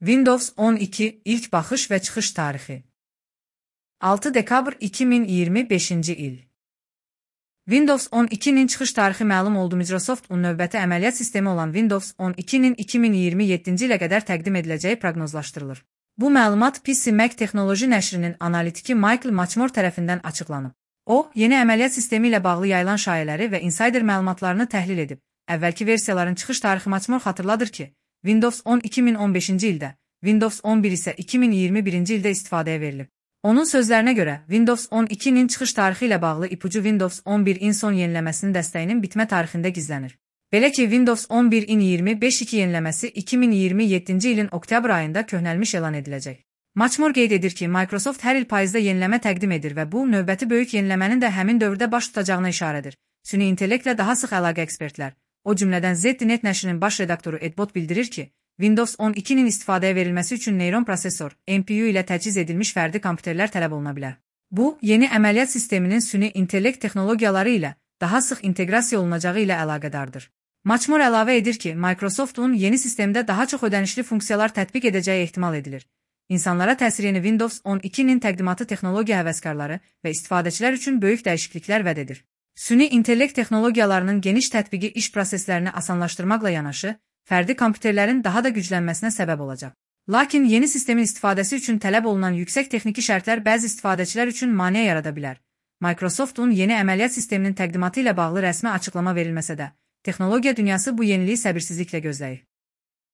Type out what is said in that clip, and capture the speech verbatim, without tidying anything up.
Windows on iki ilk baxış və çıxış tarixi. altı dekabr iki min iyirmi beşinci il. Windows on ikinin çıxış tarixi məlum oldu. Microsoft-un növbəti əməliyyat sistemi olan Windows on ikinin iki min iyirmi yeddinci ilə qədər təqdim ediləcəyi proqnozlaşdırılır. Bu məlumat P C Mac Texnoloji nəşrinin analitiki Michael Matchmore tərəfindən açıqlanıb. O, yeni əməliyyat sistemi ilə bağlı yayılan şayələri və insider məlumatlarını təhlil edib. Əvvəlki versiyaların çıxış tarixi Matchmore xatırladır ki, Windows on iki min on beşinci ildə, Windows on bir isə iki min iyirmi birinci ildə istifadəyə verilib. Onun sözlərinə görə, Windows on ikinin çıxış tarixi ilə bağlı ipucu Windows on birin son yeniləməsinin dəstəyinin bitmə tarixində gizlənir. Belə ki, Windows on birin iyirmi beş iki yeniləməsi iki min iyirmi yeddinci ilin oktyabr ayında köhnəlmiş elan ediləcək. Matchmore qeyd edir ki, Microsoft hər il payızda yeniləmə təqdim edir və bu, növbəti böyük yeniləmənin də həmin dövrdə baş tutacağına işarədir. Süni intellektlə daha sıx əlaqə ekspertlər, o cümlədən Z D Net nəşrinin baş redaktoru Ed Bot bildirir ki, Windows on ikinin istifadəyə verilməsi üçün neyron prosesor, N P U ilə təchiz edilmiş fərdi kompüterlər tələb oluna bilər. Bu, yeni əməliyyat sisteminin süni intellekt texnologiyaları ilə daha sıx inteqrasiya olunacağı ilə əlaqədardır. Matchmore əlavə edir ki, Microsoft-un yeni sistemdə daha çox ödənişli funksiyalar tətbiq edəcəyi ehtimal edilir. İnsanlara təsir yeni Windows on ikinin təqdimatı texnologiya həvəskarları və istifadəçilər üçün böyük dəyişikliklər vəd edir. Süni intellekt texnologiyalarının geniş tətbiqi iş proseslərini asanlaşdırmaqla yanaşı, fərdi kompüterlərin daha da güclənməsinə səbəb olacaq. Lakin yeni sistemin istifadəsi üçün tələb olunan yüksək texniki şərtlər bəzi istifadəçilər üçün maneə yarada bilər. Microsoft-un yeni əməliyyat sisteminin təqdimatı ilə bağlı rəsmi açıqlama verilməsə də, texnologiya dünyası bu yeniliyi səbirsizliklə gözləyir.